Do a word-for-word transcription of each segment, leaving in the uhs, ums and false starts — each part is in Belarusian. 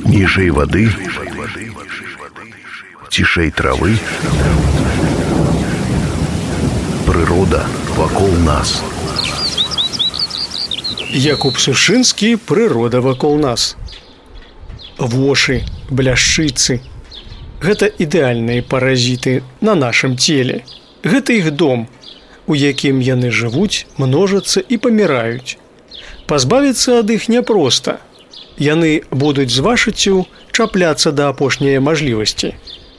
Ніжэй вады, цішэй травы, прырода вакол нас. Якуб Сушынскі «Прырода вакол нас». Вошы, бляшчыцы – гэта ідэальныя паразіты на нашым целе. Гэта іх дом, у якім яны жывуць, множацца і паміраюць. Пазбавіцца ад іх няпроста. Яны будуць з вашыццю чапляцца да апошняй мажлівасці,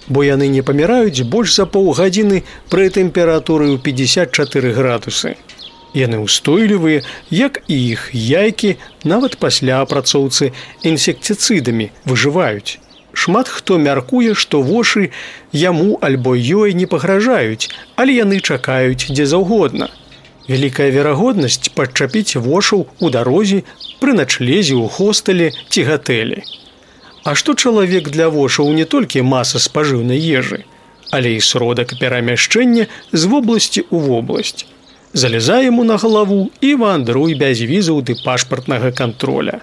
бо яны не паміраюць больш за паўгадзіны пры тэмпературы ў пятьдесят четыре градусы. Яны ўстойлівыя, як і іх яйкі, нават пасля апрацоўцы інсектыцыдамі выжываюць. Шмат хто мяркуе, што вошы яму альбо ёй не пагражаюць, але яны чакаюць дзе заўгодна. Вялікая верагоднасць падчапіць вошаў у дарозе, пры начлезе, ў хостэле ці гатэлі. А што чалавек для вошаў не толькі маса спажыўнай ежы, але і сродак перамяшчэння з вобласці ў вобласць. Залезай яму на галаву і вандруй без візаў ды пашпартнага контроля.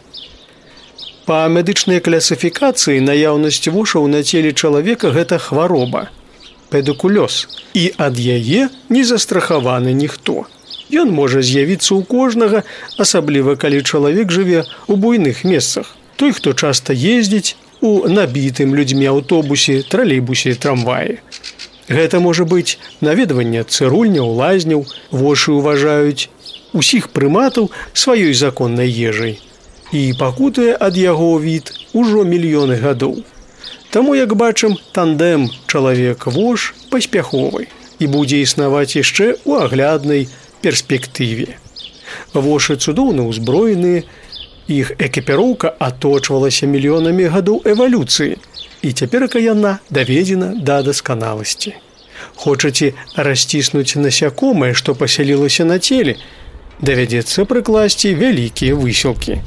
Па медычнай класіфікацыі наяўнасць вошаў на целе чалавека – гэта хвароба – педикулёз, і ад яе не застрахаваны ніхто. Ён можа з'явіцца ў кожнага, асабліва калі чалавек жыве ў буйных месцах. Той, хто часта ездзіць у набітым людзьмі аўтобусе, тралейбусе, трамваі. Гэта можа быць наведванне цырульняў, лазняў, вошы ўважаюць усіх прыматаў сваёй законнай ежай. І пакутае ад яго від ужо мільёны гадоў. Таму, як бачым, тандэм чалавек-вош паспяховы і будзе існаваць яшчэ ў агляднай перспектыве. Вошы цудоўна ўзброеныя, іх экіпіроўка аточвалася мільёнамі гадоў эвалюцыі, і цяперака яна даведзена да дасканаласці. Хочаце расціснуць насякомае, што пасялілася на целе, давядзецца прыкласці вялікія высілкі.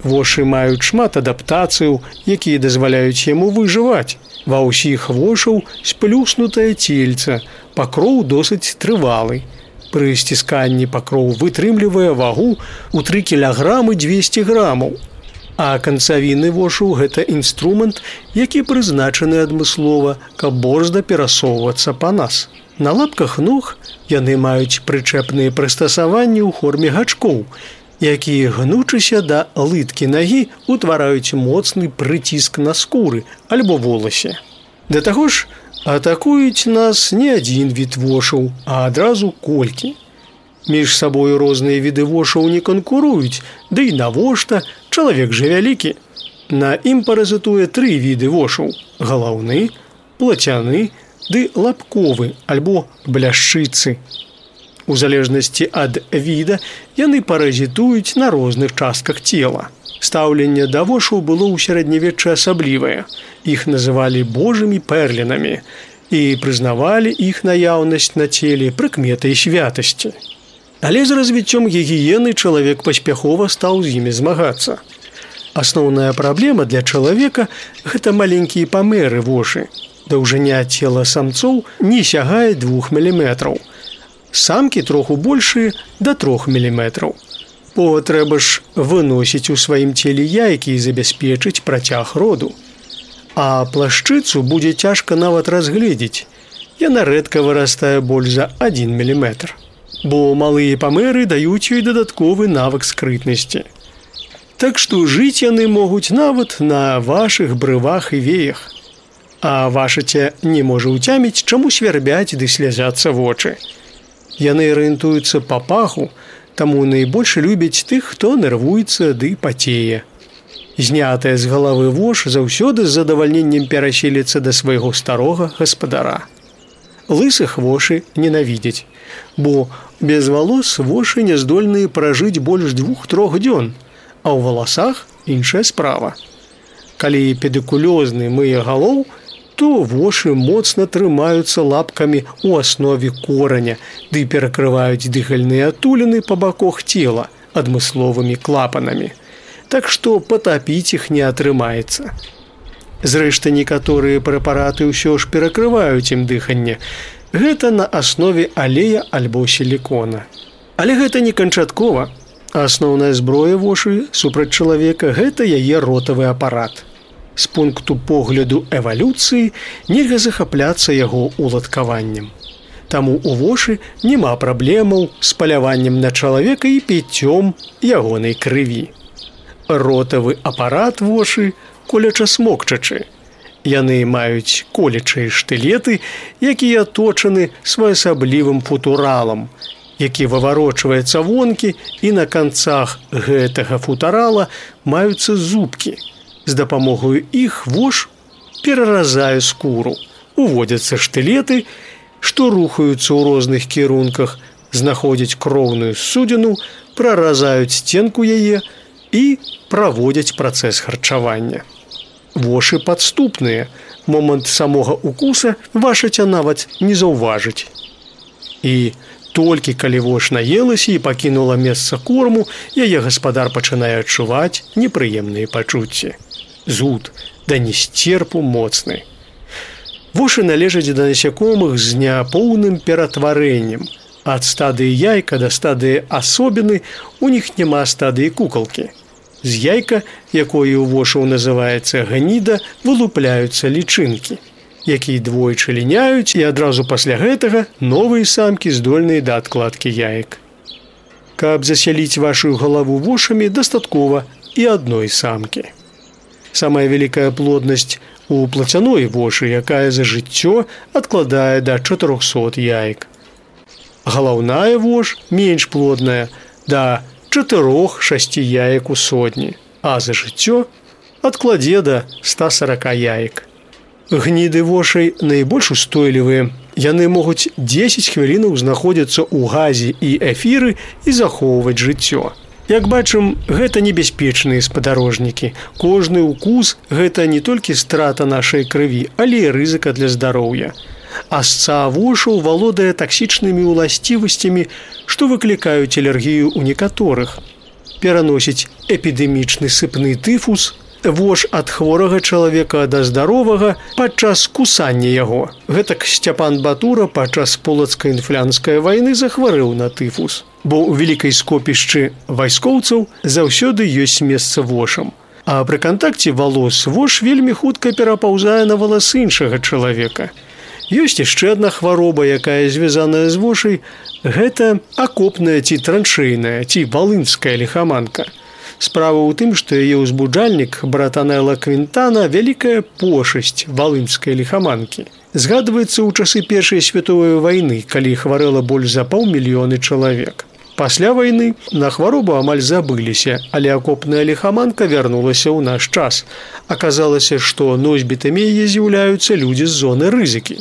Вошы маюць шмат адаптацыяў, якія дазваляюць яму выжываць. Ва ўсіх вошаў сплюснутае цельца, пакроў досыць трывалы. Пры сцісканні пакроў вытрымлівае вагу ў тры кілаграмы дзвесце грамаў. А канцавіны вошаў – гэта інструмент, які прызначаны адмыслова, каб борзда перасоўвацца па нас. На лапках ног яны маюць прычэпныя прыстасаванні ў форме гачкоў, якія, гнучыся да лыткі нагі, утвараюць моцны прыціск на скуры альбо воласе. Да таго ж, атакуюць нас не адзін від вошаў, а адразу колькі. Між сабою розныя віды вошаў не канкуруюць, ды і навошта, чалавек жа вялікі. На ім паразітуе тры віды вошаў – галаўны, плацяны ды лапковы альбо бляшчыцы. У залежнасці ад віда яны паразітуюць на розных частках цела. Стаўленне да вошаў было ў сярэднявеччы асаблівае. Іх называлі божымі пэрлінамі і прызнавалі іх наяўнасць на целе прыкметай святасці. Але з развіццём гігіены чалавек паспяхова стаў з імі змагацца. Асноўная праблема для чалавека – гэта маленькія памеры вошы. Даўжыня цела самцоў не сягае двух міліметраў. Самкі троху большыя да трох міліметраў. Бо трэба ж выносіць у сваім целе яйкі і забяспечыць працяг роду. А плашчыцу будзе цяжка нават разгледзець. Яна рэдка вырастае больш за адзін міліметр. Бо малыя памеры даюць ёй дадатковы навык скрытнасці. Так што жыць яны могуць нават на вашых брывах і веях. А вашыце не можа ўцяміць, чаму свярбяць ды слязяцца вочы. Яны арыентуюцца па паху, таму найбольш любяць тых, хто нервуецца ды пацее. Знятая з галавы вош заўсёды з задавальненнем пераселіцца да свайго старога гаспадара. Лысых вошы ненавідзяць, бо без валос вошы не здольныя пражыць больш двух-трох дзён, а ў валасах іншая справа. Калі педикулёзны мые галоў, то вошы моцна трымаюцца лапкамі ў аснове кораня, ды перакрываюць дыхальныя адтуліны па баках цела адмысловымі клапанамі. Так што патапіць іх не атрымаецца. Зрэшты, некаторыя прэпараты ўсё ж перакрываюць ім дыханне. Гэта на аснове алея альбо сілікона. Але гэта не канчаткова. Асноўная зброя вошы супраць чалавека – гэта яе ротавы апарат. З пункту погляду эвалюцыі нельга захапляцца яго уладкаваннем. Таму ў вошы няма праблемаў з паляваннем на чалавека і піццём ягонай крыві. Ротавы апарат вошы коляча-смокчачы. Яны маюць колячыя штылеты, якія аточаны своеасаблівым футуралам, які выварочваецца вонкі, і на канцах гэтага футарала маюцца зубкі. З дапамогаю іх вож пераразае скуру. Уводзяцца штылеты, што рухаюцца ў розных кірунках, знаходзяць кроўную судзіну, праразаюць сценку яе і праводзяць працэс харчавання. Вошы падступныя, момант самога укуса вашаця нават не заўважыць. І толькі калі вош наелася і пакінула месца корму, яе гаспадар пачынае адчуваць непрыемныя пачуцці. Зуд, да несцерпу моцны. Вошы належаць да насякомых з няпоўным ператварэннем. Ад стадыі яйка да стадыі асобіны у них няма стадыі кукалкі. З яйка, якое ў вошаў называецца гніда, вылупляюцца лічынкі, якія двойчы ліняюць, і адразу пасля гэтага новыя самкі здольныя да адкладкі яек. Каб засяліць вашу галаву вошамі, дастаткова і адной самкі. Самая вялікая плоднасць у плацяной вошы, якая за жыццё адкладае да чатырохсот яек. Галаўная вож менш плодная, да чатырох-шасці яек у сотні, а за жыццё адкладзе да ста сорока яек. Гніды вошай найбольш устойлівыя. Яны могуць дзесяць хвілінаў знаходзіцца ў газе і эфіры і захоўваць жыццё. Як бачым, гэта небяспечныя спадарожнікі. Кожны укус – гэта не толькі страта нашай крыві, але і рызыка для здароўя. Асца вошаў валодае таксічнымі ўласцівасцямі, што выклікаюць алергію ў некаторых. Пераносіць эпідэмічны сыпны тыфус, вож ад хворага чалавека да здаровага падчас кусання яго. Гэтак Сцяпан Батура падчас полацка-інфлянскай вайны захварэў на тыфус. Бо ў вялікай скопішчы вайскоўцаў заўсёды ёсць месца вошам. А пры кантакце валос вож вельмі хутка перапаўзае на валасы іншага чалавека. Ёсць яшчэ адна хвароба, якая звязаная з вошай. Гэта акопная ці траншэйная, ці валынская ліхаманка. Справа ў тым, што яе ўзбуджальнік братанэла Квінтана вялікая пошасць валынскай ліхаманкі. Згадваецца ў часы Першай световай вайны, калі хварэла больш за паўмільёны чалавек. Пасля вайны на хваробу амаль забыліся, але акопная ліхаманка вярнулася ў наш час. Аказалася, што носьбітамі яе з'яўляюцца людзі з зоны рызыкі,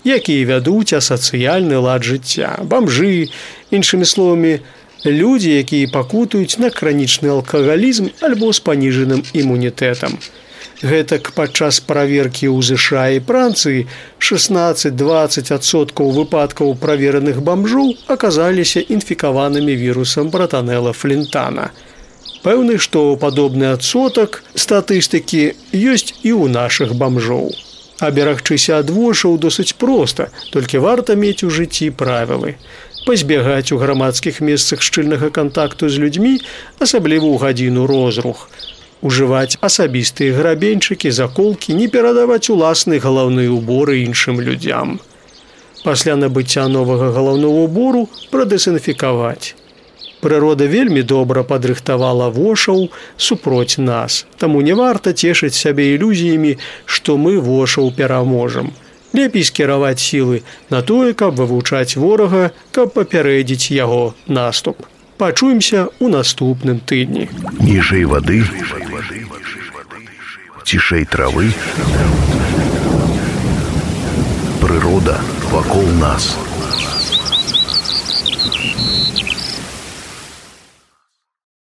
якія вядуць асацыяльны лад жыцця, бамжы, іншымі словамі, людзі, якія пакутаюць на хранічны алкагалізм альбо з паніжаным імунітэтам. Гэтак падчас праверкі ў ЗША і Францыі шаснаццаць-дваццаць адсоткаў выпадкаў правераных бамжоў аказаліся інфікаванымі вірусам братанэла Флінтана. Пэўны, што падобны адсотак статыстыкі ёсць і ў нашых бамжоў. Аберагчыся ад вошаў досыць проста, толькі варта мець у жыцці правілы. Пазбягаць у грамадскіх месцах шчыльнага кантакту з людзьмі, асабліва ў гадзіну розрух. Ужываць асабістыя грабеньчыкі, заколкі, не перадаваць уласныя галаўныя ўборы іншым людзям. Пасля набыцця новага галаўнога ўбору прадэзінфікаваць. Прырода вельмі добра падрыхтавала вошаў супроць нас, таму не варта цешыць сябе ілюзіямі, што мы вошаў пераможам. Лепей скіраваць сілы на тое, каб вывучаць ворага, каб папярэдзіць яго наступ. Пачуемся ў наступным тыдні. Ніжэй вады, цішэй травы, прырода вакол нас.